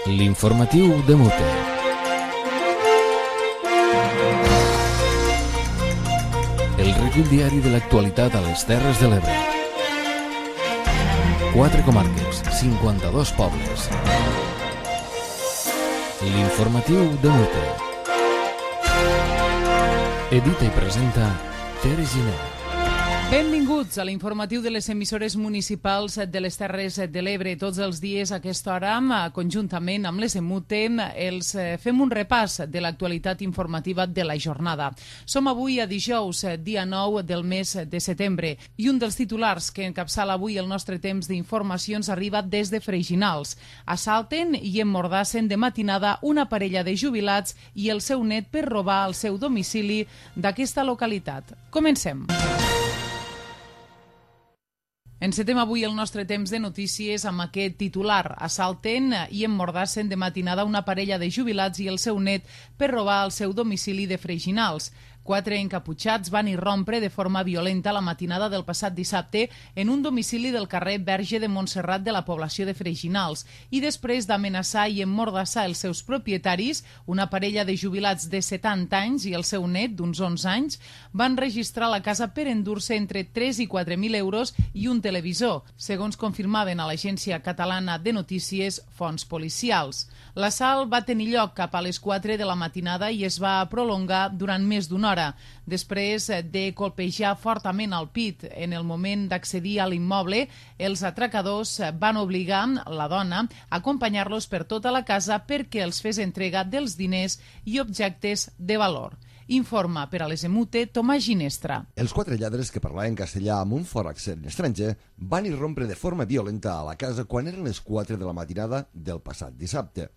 L'informatiu de Mute. El recull diari de l'actualitat a les Terres de l'Ebre. 4 comarques, 52 pobles. L'informatiu de Mute. Edita i presenta Tere Giner. Benvinguts a l'informatiu de les emissores municipals de les Terres de l'Ebre. Tots els dies a aquesta hora, conjuntament amb les EMUTE, els fem un repàs de l'actualitat informativa de la jornada. Som avui a dijous, dia 9 del mes de setembre, i un dels titulars que encapçala avui el nostre temps d'informacions arriba des de Freixinals. Assalten i emmordassen de matinada una parella de jubilats i el seu net per robar al seu domicili d'aquesta localitat. Comencem. Encetem avui el nostre temps de notícies amb aquest titular. Assalten i emmordassen de matinada una parella de jubilats i el seu net per robar al seu domicili de Freixinals. 4 encaputxats van irrompre de forma violenta la matinada del passat dissabte en un domicili del carrer Verge de Montserrat de la població de Freixinals i després d'amenaçar i emmordassar els seus propietaris, una parella de jubilats de 70 anys i el seu net d'uns 11 anys, van registrar la casa per endur-se entre 3 i 4.000 euros i un televisor, segons confirmaven a l'agència catalana de notícies fonts policials. L'assalt va tenir lloc cap a les 4 de la matinada i es va prolongar durant més d'una hora. Després de colpejar fortament al pit en el moment d'accedir a l'immoble, els atracadors van obligar la dona a acompanyar-los per tota la casa perquè els fes entrega dels diners i objectes de valor. Informa per a les EMUTE Tomàs Ginestra. Els 4 lladres que parlaven castellà amb un fort accent estranger van irrompre de forma violenta a la casa quan eren les 4 de la matinada del passat dissabte.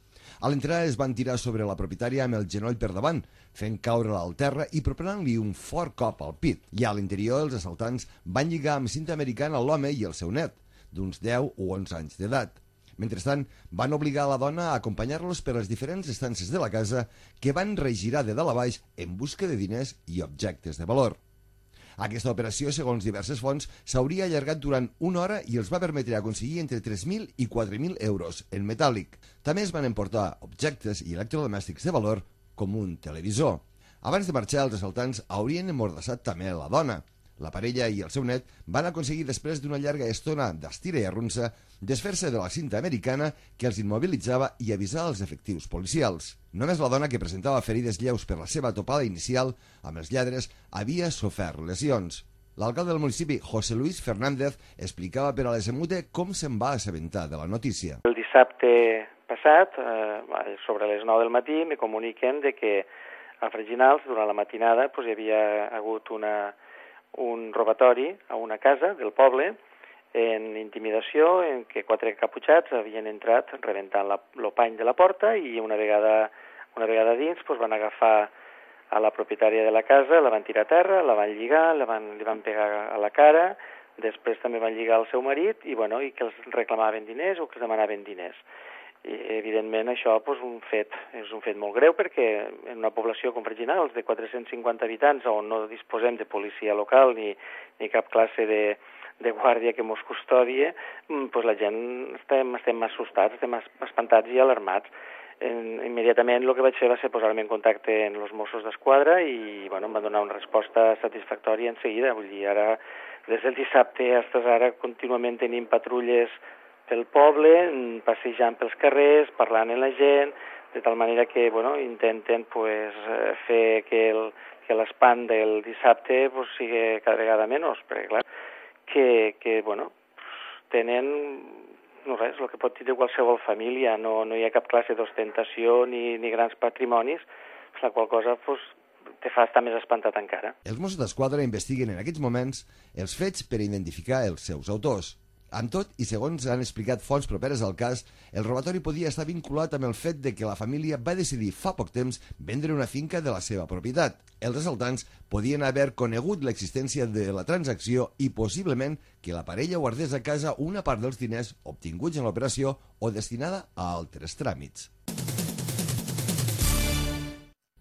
A l'entrada es van tirar sobre la propietària amb el genoll per davant, fent caure-la al terra i propinant-li un fort cop al pit. I a l'interior els assaltants van lligar amb cinta americana l'home i el seu net, d'uns 10 o 11 anys d'edat. Mentrestant, van obligar la dona a acompanyar-los per les diferents estances de la casa que van regirar de dalt a baix en busca de diners i objectes de valor. Aquesta operació, segons diverses fonts, s'hauria allargat durant una hora i els va permetre aconseguir entre 3.000 i 4.000 euros en metàl·lic. També es van emportar objectes i electrodomèstics de valor, com un televisor. Abans de marxar, els assaltants haurien emmordassat també la dona. La parella i el seu net van aconseguir, després d'una llarga estona d'estira i arrunsa, desfer-se de la cinta americana que els immobilitzava i avisar als efectius policials. Només la dona, que presentava ferides lleus per la seva topada inicial amb els lladres, havia sofert lesions. L'alcalde del municipi, José Luis Fernández, explicava per a les EMUTE com se'n va assabentar de la notícia. El dissabte passat, sobre les 9 del matí, me comuniquen de que a Freixinals, durant la matinada, hi havia hagut un robatori a una casa del poble en intimidació, en què 4 encaputxats havien entrat rebentant el pany de la porta i una vegada dins van agafar a la propietària de la casa, la van tirar a terra, la van lligar, li van pegar a la cara, després també van lligar al seu marit i que els reclamaven diners o que els demanaven diners. I, evidentment, això és un fet molt greu perquè en una població com Freixinals de 450 habitants on no disposem de policia local ni cap classe de guàrdia que mos custodie, la gent estem assustats, estem espantats i alarmats. Immediatament el que vaig fer va ser posar-me en contacte amb els Mossos d'Esquadra i em van donar una resposta satisfactòria en seguida. Vull dir, ara, des del dissabte fins ara, contínuament tenim patrulles pel poble, passejant pels carrers, parlant amb la gent, de tal manera que intenten fer que l'espant del dissabte sigui cada vegada menys, perquè clar, que tenen res, el que pot dir de qualsevol família, no hi ha cap classe d'ostentació ni grans patrimonis, la qual cosa te fa estar més espantat encara. Els Mossos d'Esquadra investiguen en aquests moments els fets per identificar els seus autors. Amb tot, i segons han explicat fonts properes al cas, el robatori podia estar vinculat amb el fet de que la família va decidir fa poc temps vendre una finca de la seva propietat. Els assaltants podien haver conegut l'existència de la transacció i possiblement que la parella guardés a casa una part dels diners obtinguts en l'operació o destinada a altres tràmits.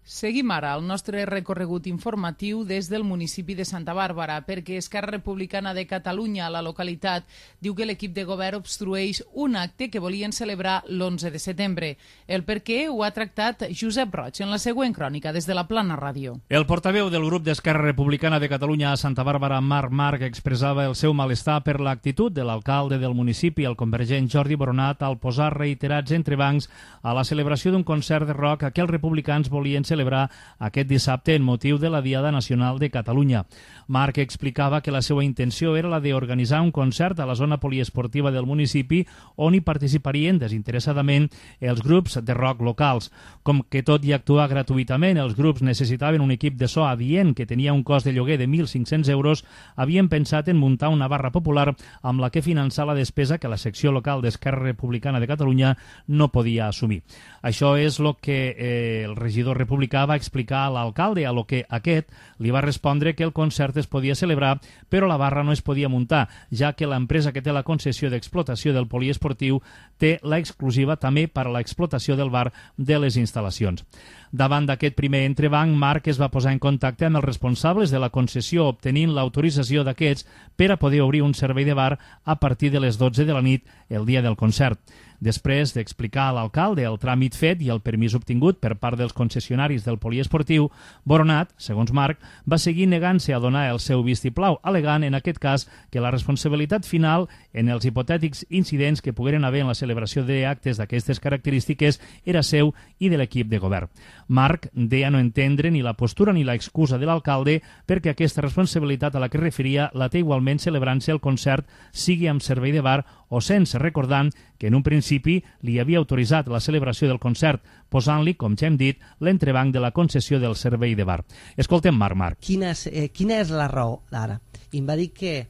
Seguim ara el nostre recorregut informatiu des del municipi de Santa Bàrbara, perquè Esquerra Republicana de Catalunya a la localitat diu que l'equip de govern obstrueix un acte que volien celebrar l'11 de setembre. El per què ho ha tractat Josep Roig en la següent crònica des de la Plana Ràdio. El portaveu del grup d'Esquerra Republicana de Catalunya a Santa Bàrbara, Marc, expressava el seu malestar per l'actitud de l'alcalde del municipi, el convergent Jordi Boronat, al posar reiterats entrebancs a la celebració d'un concert de rock que els republicans volien celebrar aquest dissabte en motiu de la Diada Nacional de Catalunya. Marc explicava que la seva intenció era la d'organitzar un concert a la zona poliesportiva del municipi on hi participarien desinteressadament els grups de rock locals. Com que tot i actuar gratuïtament, els grups necessitaven un equip de so adient que tenia un cost de lloguer de 1.500 euros, havien pensat en muntar una barra popular amb la que finançar la despesa que la secció local d'Esquerra Republicana de Catalunya no podia assumir. Això és el que el regidor republicà va explicar a l'alcalde, a lo que aquest li va respondre que el concert es podia celebrar, però la barra no es podia muntar, ja que l'empresa que té la concessió d'explotació del poliesportiu té l'exclusiva també per a l'explotació del bar de les instal·lacions. Davant d'aquest primer entrebanc, Marc es va posar en contacte amb els responsables de la concessió, obtenint l'autorització d'aquests per a poder obrir un servei de bar a partir de les 12 de la nit el dia del concert. Després d'explicar a l'alcalde el tràmit fet i el permís obtingut per part dels concessionaris del poliesportiu, Boronat, segons Marc, va seguir negant-se a donar el seu vistiplau, alegant en aquest cas que la responsabilitat final en els hipotètics incidents que pogueren haver en la celebració d'actes d'aquestes característiques era seu i de l'equip de govern. Marc deia no entendre ni la postura ni l'excusa de l'alcalde perquè aquesta responsabilitat a la que es referia la té igualment celebrant-se el concert, sigui amb servei de bar o sense, recordant que en un principi li havia autoritzat la celebració del concert, posant-li, com ja hem dit, l'entrebanc de la concessió del servei de bar. Escoltem Marc. Quina és la raó ara? I em va dir que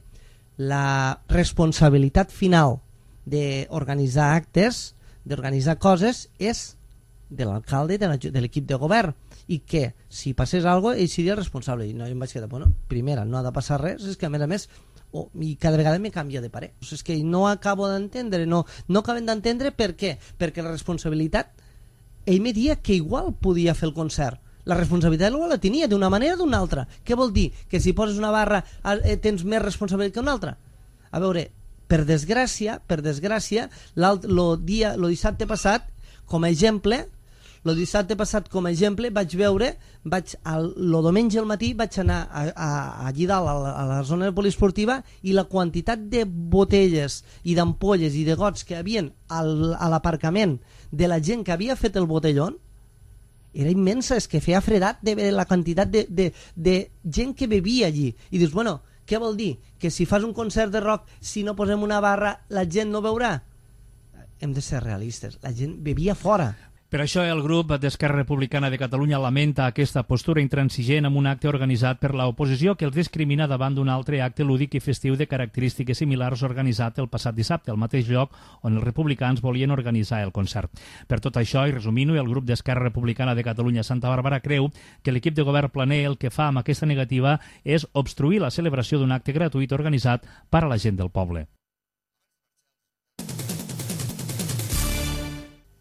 la responsabilitat final d'organitzar actes, d'organitzar coses, és de l'alcalde de l'equip de govern, i que si passés alguna cosa ell seria el responsable. I no, jo em vaig quedar, bueno, primera, no ha de passar res, és que a més i cada vegada me canvia de parer. És que no acabo d'entendre, no acabem d'entendre per què. Perquè la responsabilitat, ell me dia que igual podia fer el concert. La responsabilitat igual la tenia d'una manera o d'una altra. Què vol dir? Que si poses una barra tens més responsabilitat que una altra? A veure, per desgràcia, el dissabte passat, com a exemple, vaig veure, el diumenge al matí vaig anar allí dalt a la zona poliesportiva i la quantitat de botelles i d'ampolles i de gots que hi havia a l'aparcament de la gent que havia fet el botellón era immensa, és que feia fredat de la quantitat de gent que bevia allí. I dius, bueno, què vol dir? Que si fas un concert de rock, si no posem una barra, la gent no beurà? Hem de ser realistes, la gent bevia fora. Per això el grup d'Esquerra Republicana de Catalunya lamenta aquesta postura intransigent amb un acte organitzat per l'oposició que els discrimina davant d'un altre acte lúdic i festiu de característiques similars organitzat el passat dissabte, al mateix lloc on els republicans volien organitzar el concert. Per tot això, i resumint-ho, el grup d'Esquerra Republicana de Catalunya a Santa Bàrbara creu que l'equip de govern planer el que fa amb aquesta negativa és obstruir la celebració d'un acte gratuït organitzat per a la gent del poble.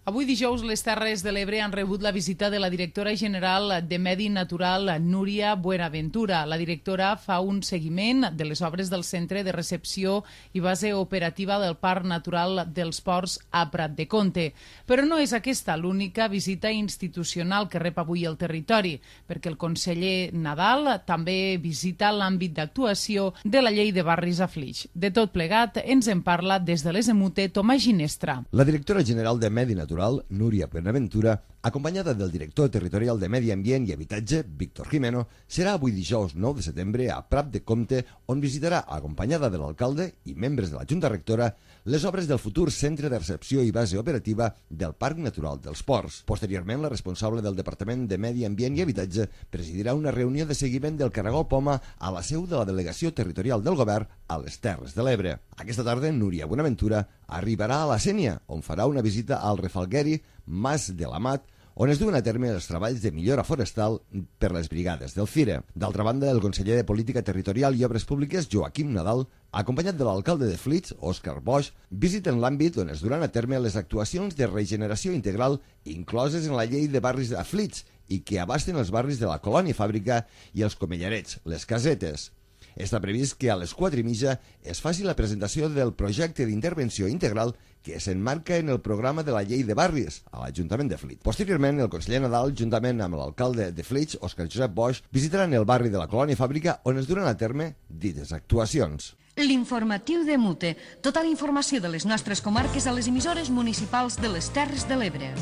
Avui dijous les Terres de l'Ebre han rebut la visita de la directora general de Medi Natural, Núria Buenaventura. La directora fa un seguiment de les obres del Centre de Recepció i Base Operativa del Parc Natural dels Ports a Prat de Comte. Però no és aquesta l'única visita institucional que rep avui el territori, perquè el conseller Nadal també visita l'àmbit d'actuació de la llei de barris a Flix. De tot plegat ens en parla des de les Emute Tomàs Ginestra. La directora general de Medi Natural, Núria Buenaventura, acompanyada del director territorial de Medi Ambient i Habitatge, Víctor Jimeno, serà avui dijous 9 de setembre a Prat de Comte, on visitarà, acompanyada de l'alcalde i membres de la Junta Rectora, les obres del futur Centre de Recepció i Base Operativa del Parc Natural dels Ports. Posteriorment, la responsable del Departament de Medi Ambient i Habitatge presidirà una reunió de seguiment del Caragol Poma a la seu de la Delegació Territorial del Govern a les Terres de l'Ebre. Aquesta tarda, Núria Buenaventura arribarà a la Sénia, on farà una visita al Refalgueri, Mas de l'Amat, on es duen a terme els treballs de millora forestal per les brigades del FIRE. D'altra banda, el conseller de Política Territorial i Obres Públiques, Joaquim Nadal, acompanyat de l'alcalde de Flix, Òscar Boix, visiten l'àmbit on es duran a terme les actuacions de regeneració integral incloses en la llei de barris de Flix i que abasten els barris de la Colònia Fàbrica i els Comellarets, les Casetes. Està previst que a les 4:30 es faci la presentació del projecte d'intervenció integral que s'emmarca en el programa de la llei de barris a l'Ajuntament de Flix. Posteriorment, el conseller Nadal, juntament amb l'alcalde de Flix, Òscar Josep Boix, visitaran el barri de la Colònia Fàbrica on es duran a terme dites actuacions. L'informatiu de Mute. Tota la informació de les nostres comarques a les emissores municipals de les Terres de l'Ebre.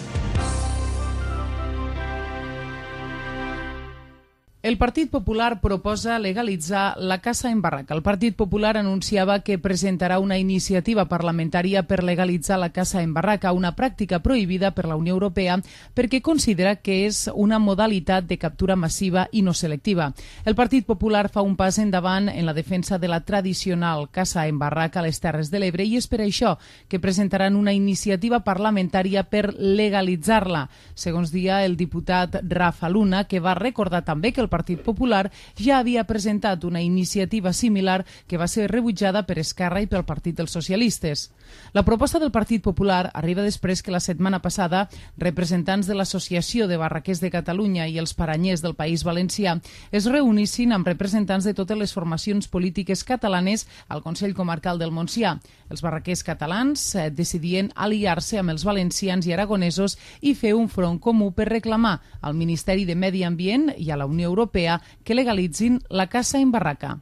El Partit Popular proposa legalitzar la caça en barraca. El Partit Popular anunciava que presentarà una iniciativa parlamentària per legalitzar la caça en barraca, una pràctica prohibida per la Unió Europea perquè considera que és una modalitat de captura massiva i no selectiva. El Partit Popular fa un pas endavant en la defensa de la tradicional caça en barraca a les Terres de l'Ebre i és per això que presentaran una iniciativa parlamentària per legalitzar-la. Segons dia el diputat Rafa Luna, que va recordar també que el Partit Popular ja havia presentat una iniciativa similar que va ser rebutjada per Esquerra i pel Partit dels Socialistes. La proposta del Partit Popular arriba després que la setmana passada representants de l'Associació de Barraquers de Catalunya i els Paranyers del País Valencià es reunissin amb representants de totes les formacions polítiques catalanes al Consell Comarcal del Montsià. Els barraquers catalans decidien aliar-se amb els valencians i aragonesos i fer un front comú per reclamar al Ministeri de Medi Ambient i a la Unió Europea que legalitzin la caça en barraca.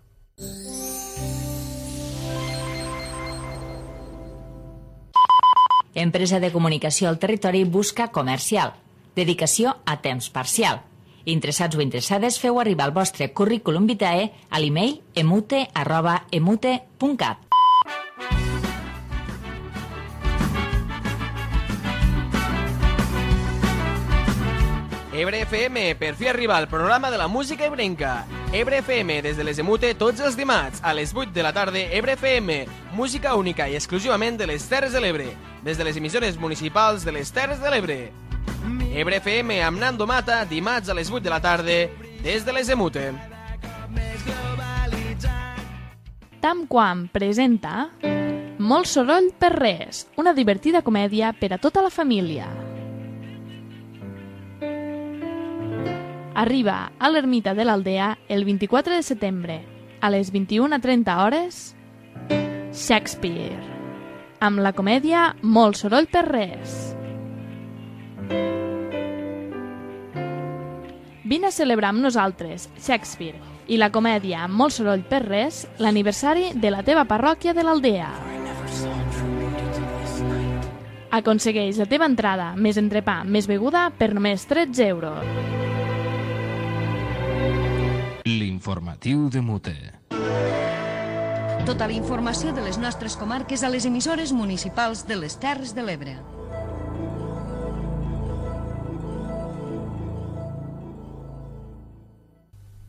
Empresa de comunicació al territori busca comercial. Dedicació a temps parcial. Interessats o interessades, feu arribar el vostre currículum vitae a l'email emute@emute.cat. Ebre FM, per fi arriba al programa de la música ebrenca. Ebre FM, des de les Emute, tots els dimarts, a les 8 de la tarda, Ebre FM, música única i exclusivament de les Terres de l'Ebre, des de les emissores municipals de les Terres de l'Ebre. Ebre FM amb Nando Mata, dimarts a les 8 de la tarda, des de les Emute. Tamquam presenta Molt soroll per res, una divertida comèdia per a tota la família. Arriba a l'Ermita de l'Aldea el 24 de setembre, a les 21:30 hores, Shakespeare, amb la comèdia Molt soroll per res. Vine a celebrar amb nosaltres, Shakespeare, i la comèdia Molt soroll per res, l'aniversari de la teva parròquia de l'Aldea. Aconsegueix la teva entrada, més entrepà, més beguda, per només 13 euros. L'informatiu de Mute. Tota la informació de les nostres comarques a les emissores municipals de les Terres de l'Ebre.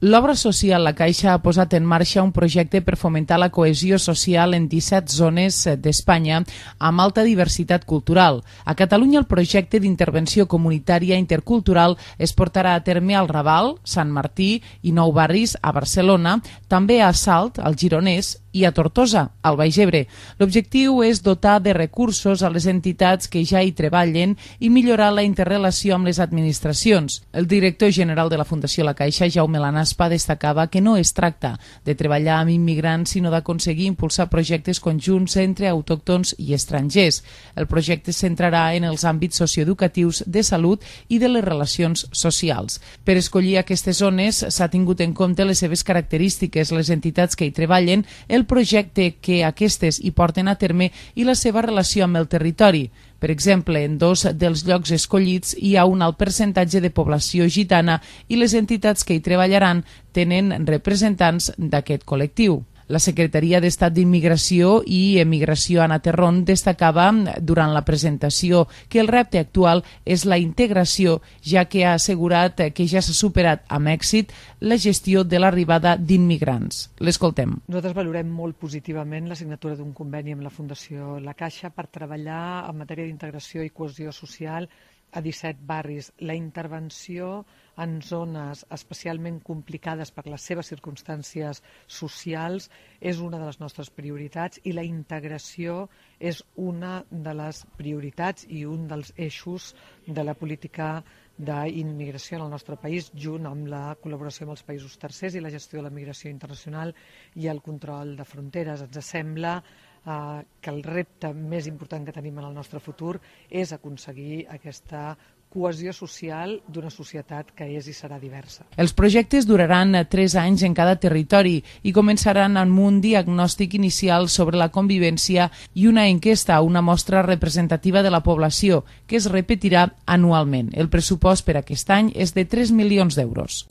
L'obra social La Caixa ha posat en marxa un projecte per fomentar la cohesió social en 17 zones d'Espanya amb alta diversitat cultural. A Catalunya el projecte d'intervenció comunitària intercultural es portarà a terme al Raval, Sant Martí i Nou Barris a Barcelona, també a Salt, al Gironès, i a Tortosa, al Baix Ebre. L'objectiu és dotar de recursos a les entitats que ja hi treballen i millorar la interrelació amb les administracions. El director general de la Fundació La Caixa, Jaume Lanaspa, destacava que no es tracta de treballar amb immigrants, sinó d'aconseguir impulsar projectes conjunts entre autòctons i estrangers. El projecte es centrarà en els àmbits socioeducatius, de salut i de les relacions socials. Per escollir aquestes zones s'ha tingut en compte les seves característiques, les entitats que hi treballen, el projecte que aquestes hi porten a terme i la seva relació amb el territori. Per exemple, en 2 dels llocs escollits hi ha un alt percentatge de població gitana i les entitats que hi treballaran tenen representants d'aquest col·lectiu. La Secretaria d'Estat d'Immigració i Emigració, Anna Terrón, destacava durant la presentació que el repte actual és la integració, ja que ha assegurat que ja s'ha superat amb èxit la gestió de l'arribada d'immigrants. L'escoltem. Nosaltres valorem molt positivament la signatura d'un conveni amb la Fundació La Caixa per treballar en matèria d'integració i cohesió social a 17 barris. La intervenció en zones especialment complicades per les seves circumstàncies socials és una de les nostres prioritats i la integració és una de les prioritats i un dels eixos de la política d'immigració en el nostre país, junt amb la col·laboració amb els països tercers i la gestió de la migració internacional i el control de fronteres. Ens sembla que el repte més important que tenim en el nostre futur és aconseguir aquesta cohesió social d'una societat que és i serà diversa. Els projectes duraran 3 anys en cada territori i començaran amb un diagnòstic inicial sobre la convivència i una enquesta, una mostra representativa de la població, que es repetirà anualment. El pressupost per aquest any és de 3 milions d'euros.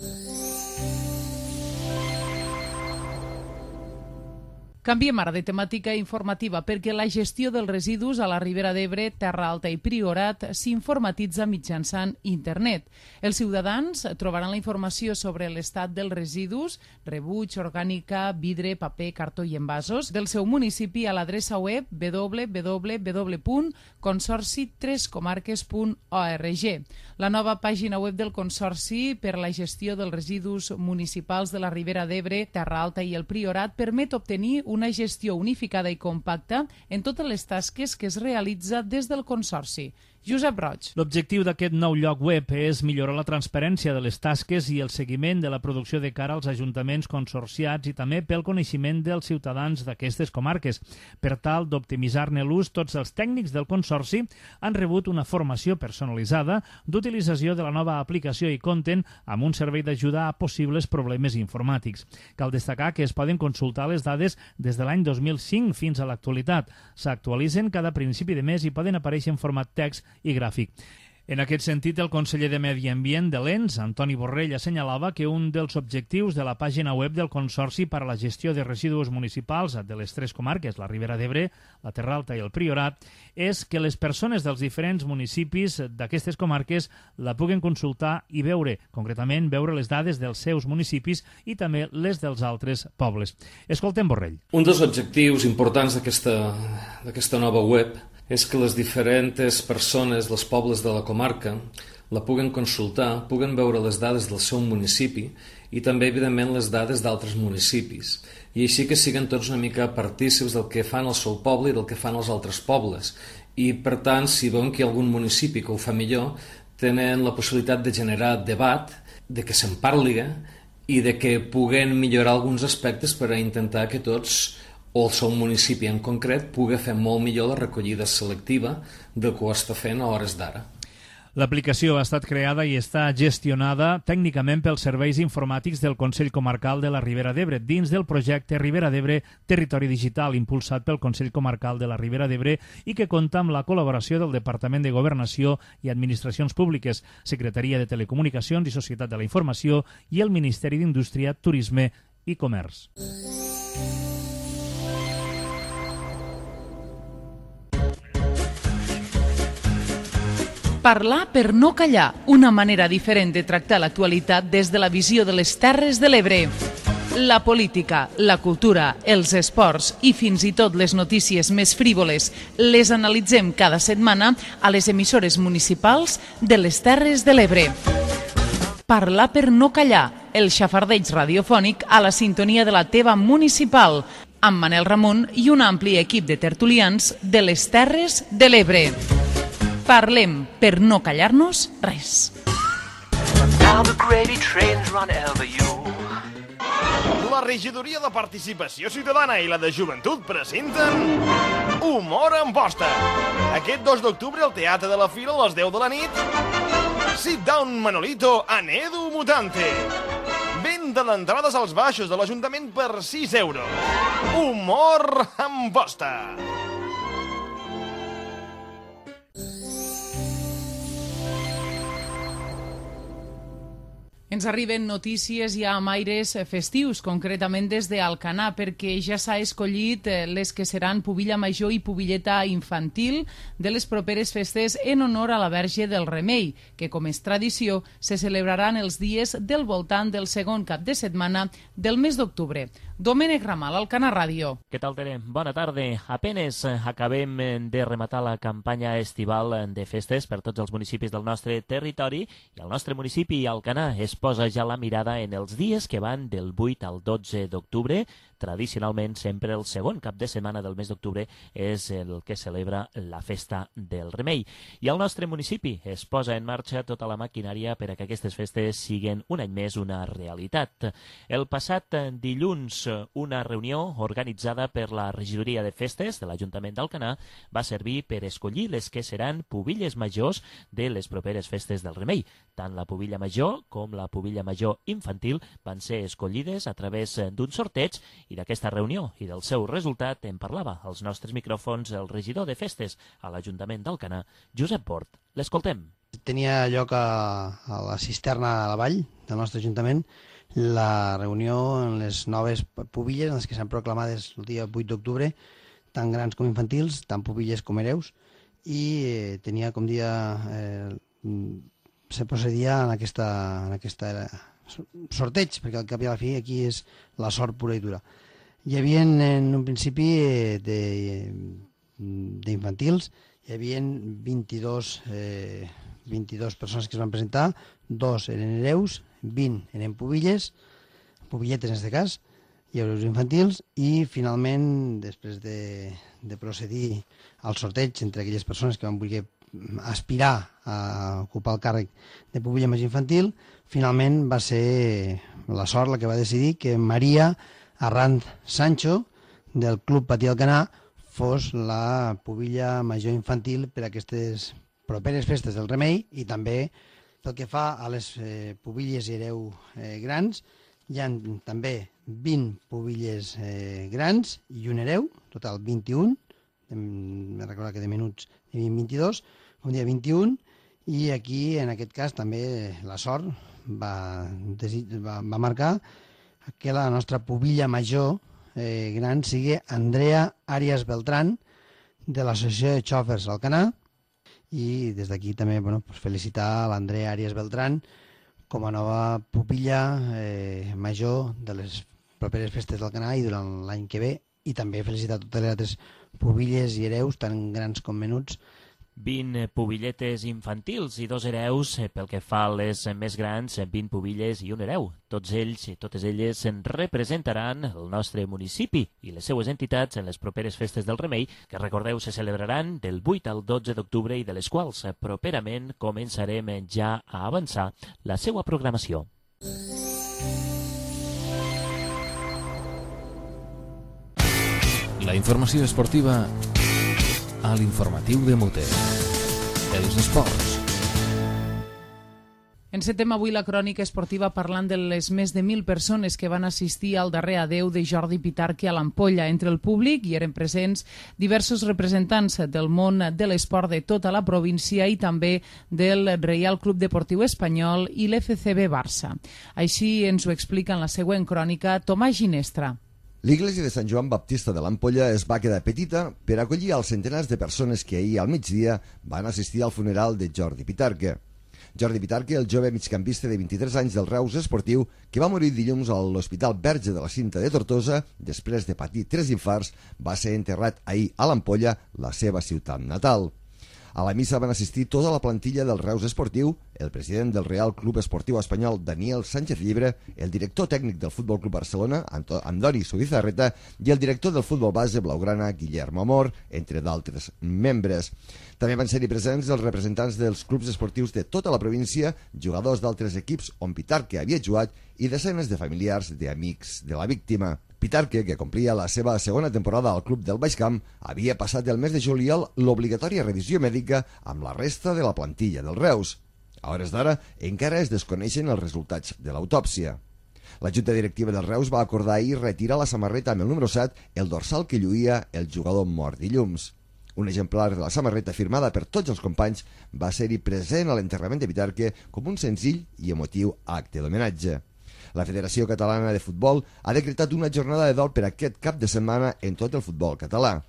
Canviem ara de temàtica informativa perquè la gestió dels residus a la Ribera d'Ebre, Terra Alta i Priorat s'informatitza mitjançant internet. Els ciutadans trobaran la informació sobre l'estat dels residus, rebuig, orgànica, vidre, paper, cartó i envasos del seu municipi a l'adreça web www.consorci3comarques.org. La nova pàgina web del Consorci per la gestió dels residus municipals de la Ribera d'Ebre, Terra Alta i el Priorat permet obtenir una gestió unificada i compacta en totes les tasques que es realitza des del Consorci. Josep Roig. L'objectiu d'aquest nou lloc web és millorar la transparència de les tasques i el seguiment de la producció de cara als ajuntaments consorciats i també pel coneixement dels ciutadans d'aquestes comarques. Per tal d'optimitzar-ne l'ús, tots els tècnics del Consorci han rebut una formació personalitzada d'utilització de la nova aplicació i compten amb un servei d'ajuda a possibles problemes informàtics. Cal destacar que es poden consultar les dades des de l'any 2005 fins a l'actualitat. S'actualitzen cada principi de mes i poden aparèixer en format text i gràfic. En aquest sentit, el conseller de Medi Ambient de l'ENS, Antoni Borrell, assenyalava que un dels objectius de la pàgina web del Consorci per a la gestió de residus municipals de les 3 comarques, la Ribera d'Ebre, la Terra Alta i el Priorat, és que les persones dels diferents municipis d'aquestes comarques la puguen consultar i veure, concretament veure les dades dels seus municipis i també les dels altres pobles. Escoltem Borrell. Un dels objectius importants d'aquesta nova web és que les diferents persones dels pobles de la comarca la puguen consultar, puguen veure les dades del seu municipi i també, evidentment, les dades d'altres municipis. I així que siguen tots una mica partícips del que fan el seu poble i del que fan els altres pobles. I, per tant, si veuen que hi ha algun municipi que ho fa millor, tenen la possibilitat de generar debat, de que se'n parli i de que puguen millorar alguns aspectes per a intentar que tots o el seu municipi en concret pugui fer molt millor la recollida selectiva del que ho està fent a hores d'ara. L'aplicació ha estat creada i està gestionada tècnicament pels serveis informàtics del Consell Comarcal de la Ribera d'Ebre dins del projecte Ribera d'Ebre Territori Digital impulsat pel Consell Comarcal de la Ribera d'Ebre i que compta amb la col·laboració del Departament de Governació i Administracions Públiques, Secretaria de Telecomunicacions i Societat de la Informació i el Ministeri d'Indústria, Turisme i Comerç. Parlar per no callar, una manera diferent de tractar l'actualitat des de la visió de les Terres de l'Ebre. La política, la cultura, els esports i fins i tot les notícies més frívoles les analitzem cada setmana a les emissores municipals de les Terres de l'Ebre. Parlar per no callar, el xafardeig radiofònic a la sintonia de la teva municipal, amb Manel Ramon i un ampli equip de tertulians de les Terres de l'Ebre. Parlem per no callar-nos res. La Regidoria de Participació Ciutadana i la de Joventut presenten Humor en Posta. Aquest 2 d'octubre al Teatre de la Fira a les 10 de la nit. Sit Down Manolito en Edu Mutante. Venda d'entrades als baixos de l'Ajuntament per 6 euros. Humor en Posta. Ens arriben notícies ja amb aires festius, concretament des d'Alcanar, perquè ja s'ha escollit les que seran Pubilla Major i Pubilleta Infantil de les properes festes en honor a la Verge del Remei, que, com és tradició, se celebraran els dies del voltant del segon cap de setmana del mes d'octubre. Domènec Ramal, Alcanar Ràdio. Què tal, Tere? Bona tarda. Apenes acabem de rematar la campanya estival de festes per tots els municipis del nostre territori i el nostre municipi, Alcanar, es posa ja la mirada en els dies que van del 8 al 12 d'octubre, tradicionalment sempre el segon cap de setmana del mes d'octubre és el que celebra la Festa del Remei. I al nostre municipi es posa en marxa tota la maquinària per a que aquestes festes siguin un any més una realitat. El passat dilluns, una reunió organitzada per la Regidoria de Festes de l'Ajuntament d'Alcanar va servir per escollir les que seran pubilles majors de les properes festes del Remei. Tant la pubilla major com la pubilla major infantil van ser escollides a través d'un sorteig i d'aquesta reunió i del seu resultat en parlava als nostres micròfons el regidor de festes a l'Ajuntament d'Alcanar, Josep Bort. L'escoltem. Tenia lloc a la cisterna a la vall del nostre Ajuntament la reunió en les noves pubilles, en les que s'han proclamades el dia 8 d'octubre, tant grans com infantils, tant pubilles com hereus, i tenia com dia... se procedia en aquesta sorteig, perquè al cap i a la fi aquí és la sort pura i dura. Hi havia en un principi d'infantils, hi havia 22 persones que es van presentar, 2 eren hereus, 20 eren pubilletes en aquest cas, i hereus infantils, i finalment, després de procedir al sorteig entre aquelles persones que van voler aspirar a ocupar el càrrec de pubilla més infantil, finalment va ser la sort la que va decidir que Maria Arranz Sancho, del Club Patí Alcanar, fos la pubilla major infantil per a aquestes properes festes del Remei, i també pel que fa a les pubilles i hereu grans, hi ha també 20 pubilles grans i un hereu, total 21, m'he recordat que de minuts hi havia 22, un dia 21, i aquí en aquest cas també la sort va marcar que la nostra pubilla major gran sigui Andrea Arias Beltrán, de l'Associació de Xòfers Alcanar, i des d'aquí també felicitar l'Andrea Arias Beltrán com a nova pupilla major de les properes festes d'Alcanar i durant l'any que ve, i també felicitar totes les altres pubilles i hereus, tant grans com menuts. 20 pubilletes infantils i 2 hereus, pel que fa a les més grans, 20 pubilles i un hereu. Tots ells i totes elles representaran el nostre municipi i les seues entitats en les properes festes del Remei, que recordeu se celebraran del 8 al 12 d'octubre i de les quals properament començarem ja a avançar la seva programació. La informació esportiva a l'informatiu de Mute. Els esports. Encetem avui la crònica esportiva parlant de les més de 1.000 persones que van assistir al darrer adeu de Jordi Pitarque a l'Ampolla. Entre el públic hi eren presents diversos representants del món de l'esport de tota la província i també del Reial Club Deportiu Espanyol i l'FCB Barça. Així ens ho explica en la següent crònica Tomàs Ginestra. L'església de Sant Joan Baptista de l'Ampolla es va quedar petita per acollir els centenars de persones que ahir al migdia van assistir al funeral de Jordi Pitarque. Jordi Pitarque, el jove migcampista de 23 anys del Reus Esportiu, que va morir dilluns a l'Hospital Verge de la Cinta de Tortosa després de patir 3 infarts, va ser enterrat ahir a l'Ampolla, la seva ciutat natal. A la missa van assistir tota la plantilla del Reus Esportiu, el president del Real Club Esportiu Espanyol, Daniel Sánchez Llibre, el director tècnic del Futbol Club Barcelona, Andoni Subizarreta, i el director del futbol base blaugrana, Guillermo Amor, entre d'altres membres. També van ser-hi presents els representants dels clubs esportius de tota la província, jugadors d'altres equips on Pitarque havia jugat i desenes de familiars i amics de la víctima. Pitarque, que complia la seva segona temporada al club del Baix Camp, havia passat el mes de juliol l'obligatòria revisió mèdica amb la resta de la plantilla del Reus. A hores d'ara encara es desconeixen els resultats de l'autòpsia. La Junta Directiva del Reus va acordar ahir retirar la samarreta amb el número 7, el dorsal que lluïa el jugador mort dilluns. Un exemplar de la samarreta firmada per tots els companys va ser-hi present a l'enterrament de Pitarque com un senzill i emotiu acte d'homenatge. La Federació Catalana de Futbol ha decretat una jornada de dol per aquest cap de setmana en tot el futbol català.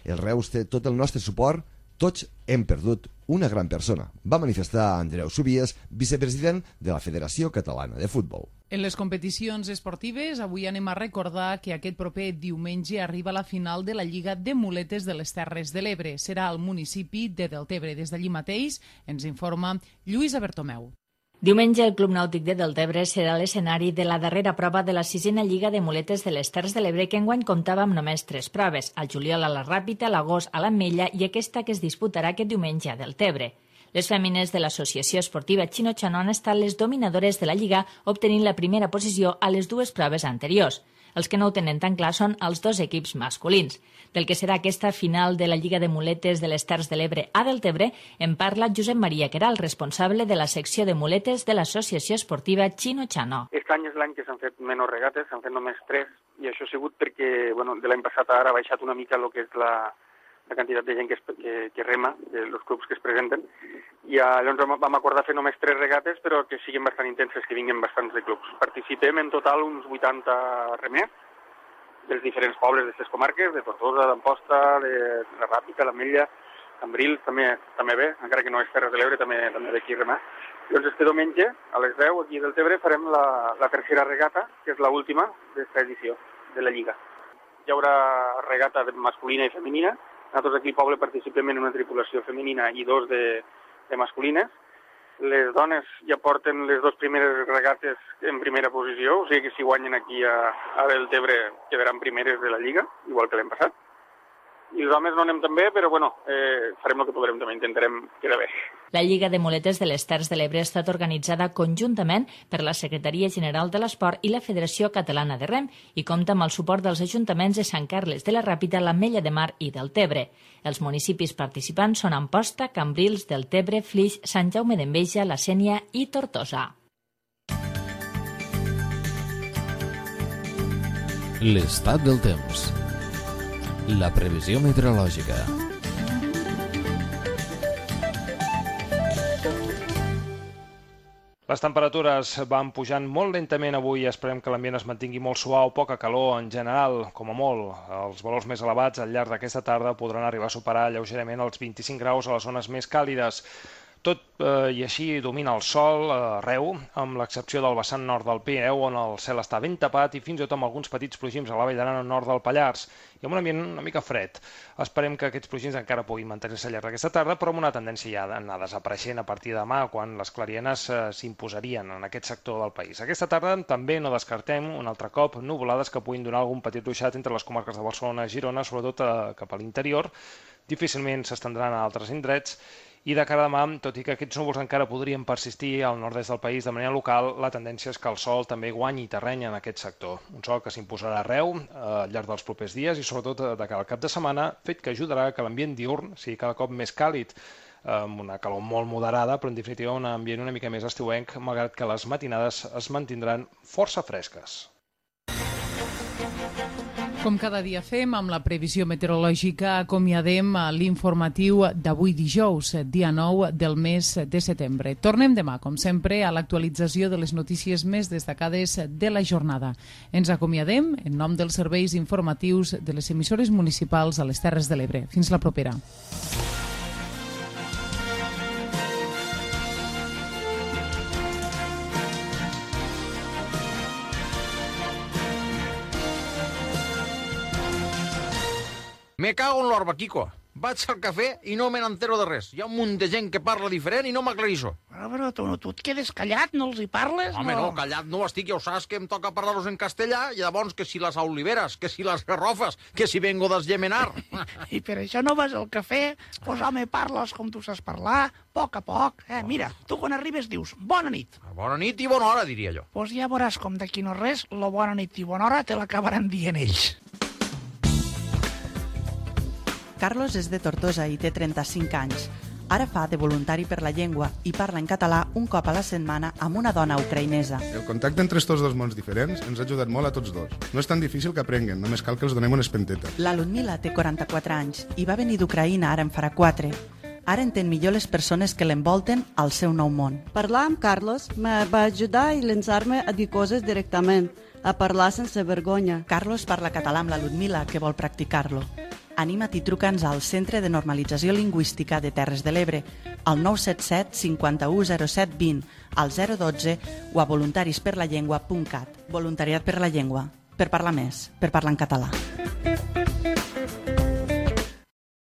El Reus té tot el nostre suport, tots hem perdut una gran persona, va manifestar Andreu Subies, vicepresident de la Federació Catalana de Futbol. En les competicions esportives, avui anem a recordar que aquest proper diumenge arriba la final de la Lliga de Muletes de les Terres de l'Ebre. Serà al municipi de Deltebre. Des d'allí mateix ens informa Lluïsa Bertomeu. Diumenge, el Club Nàutic de Deltebre serà l'escenari de la darrera prova de la 6a Lliga de Muletes de les Terres de l'Ebre, que enguany comptava amb només 3 proves, al juliol a la Ràpita, a l'agost a l'Ametlla i aquesta que es disputarà aquest diumenge a Deltebre. Les fèmines de l'Associació Esportiva Chino-Chano han estat les dominadores de la Lliga, obtenint la primera posició a les 2 proves anteriors. Els que no ho tenen tan clar són els 2 equips masculins. Del que serà aquesta final de la Lliga de Muletes de les Terres de l'Ebre a Deltebre en parla Josep Maria Queralt, responsable de la secció de muletes de l'Associació Esportiva Chino-Chano. Aquest any és l'any que s'han fet menys regates, s'han fet només 3, i això ha sigut perquè de l'any passat ara ha baixat una mica el que és la quantitat de gent que rema, dels clubs que es presenten, i llavors vam acordar fer només 3 regates, però que siguin bastant intenses, que vinguin bastants de clubs. Participem en total uns 80 remers dels diferents pobles d'aquestes comarques, de Tortosa, d'Amposta, de la Ràpita, l'Ametlla, Cambrils, també bé, encara que no és Terres de l'Ebre, també d'aquí remar. Llavors este diumenge, a les 10, aquí del Deltebre, farem la tercera regata, que és l'última d'esta edició de la Lliga. Hi haurà regata masculina i femenina. Nosaltres aquí al poble participem en una tripulació femenina i 2 de masculines. Les dones ja porten les 2 primeres regates en primera posició, o sigui que si guanyen aquí a Deltebre quedaran primeres de la Lliga, igual que l'any passat. I els homes no anem tan bé, però farem el que podrem, també intentarem quedar bé. La Lliga de Muletes de les Terres de l'Ebre ha estat organitzada conjuntament per la Secretaria General de l'Esport i la Federació Catalana de Rem i compta amb el suport dels ajuntaments de Sant Carles de la Ràpita, l'Ametlla de Mar i Deltebre. Els municipis participants són Amposta, Cambrils, Deltebre, Flix, Sant Jaume d'Enveja, la Sénia i Tortosa. L'estat del temps. La previsió meteorològica. Les temperatures van pujant molt lentament avui i esperem que l'ambient es mantingui molt suau, poca calor en general, com a molt. Els valors més elevats al llarg d'aquesta tarda podran arribar a superar lleugerament els 25 graus a les zones més càlides. Tot i així domina el sol arreu, amb l'excepció del vessant nord del Pirineu, on el cel està ben tapat i fins i tot amb alguns petits plogims a la Vall d'Aran nord del Pallars, i amb un ambient una mica fred. Esperem que aquests plogims encara puguin mantenir-se al llarg d'aquesta tarda, però amb una tendència ja d'anar desapareixent a partir de demà, quan les clarienes s'imposarien en aquest sector del país. Aquesta tarda també no descartem un altre cop nuvolades que puguin donar algun petit ruixat entre les comarques de Barcelona i Girona, sobretot cap a l'interior. Difícilment s'estendran a altres indrets. I de cara a demà, tot i que aquests núvols encara podrien persistir al nord-est del país de manera local, la tendència és que el sol també guanyi terreny en aquest sector. Un sol que s'imposarà arreu al llarg dels propers dies i sobretot de cara al cap de setmana, fet que ajudarà que l'ambient diürn sigui cada cop més càlid, amb una calor molt moderada, però en definitiva un ambient una mica més estiuenc, malgrat que les matinades es mantindran força fresques. Com cada dia fem, amb la previsió meteorològica acomiadem l'informatiu d'avui dijous, dia 9 del mes de setembre. Tornem demà, com sempre, a l'actualització de les notícies més destacades de la jornada. Ens acomiadem en nom dels serveis informatius de les emissores municipals a les Terres de l'Ebre. Fins la propera. Me cago en l'orba, Kiko. Vaig al cafè i no me n'entero de res. Hi ha un munt de gent que parla diferent i no m'aclarisco. Però tu et quedes callat, no els hi parles? Home, no, callat no estic, ja ho saps que em toca parlar-los en castellà, i llavors que si les oliveres, que si les garrofes, que si vengo d'esgemenar. I per això no vas al cafè? Pues home, parles com tu saps parlar, a poc. Mira, tu quan arribes dius, bona nit. Bona nit i bona hora, diria jo. Pues ja veuràs com d'aquí no res, la bona nit i bona hora te l'acabaran dient ells. Carlos és de Tortosa i té 35 anys. Ara fa de voluntari per la llengua i parla en català un cop a la setmana amb una dona ucraïnesa. El contacte entre estos dos mons diferents ens ha ajudat molt a tots dos. No és tan difícil que aprenguen, només cal que els donem una espenteta. La Ludmila té 44 anys i va venir d'Ucraïna ara en farà 4. Ara entén millor les persones que l'envolten al seu nou món. Parlar amb Carlos me va ajudar i llançar-me a dir coses directament, a parlar sense vergonya. Carlos parla català amb la Ludmila, que vol practicar-lo. Anima't i truca'ns al Centre de Normalització Lingüística de Terres de l'Ebre, al 977 51 07 20, al 012 o a voluntarisperlallengua.cat. Voluntariat per la llengua. Per parlar més, per parlar en català.